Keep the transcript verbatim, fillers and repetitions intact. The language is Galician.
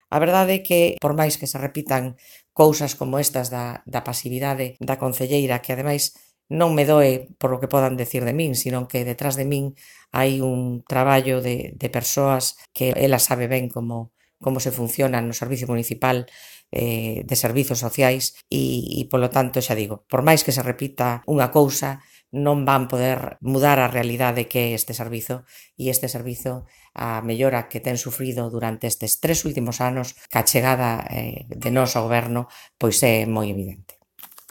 A verdade é que, por máis que se repitan cousas como estas da, da pasividade da concelleira, que ademais non me doe por o que podan decir de min, sino que detrás de min hai un traballo de, de persoas que ela sabe ben como, como se funciona no Servicio Municipal eh, de Servizos Sociais e, e, polo tanto, xa digo, por máis que se repita unha cousa, non van poder mudar a realidade que é este servizo e este servizo, a mellora que ten sufrido durante estes tres últimos anos, ca chegada eh, de nós ao goberno, pois é moi evidente.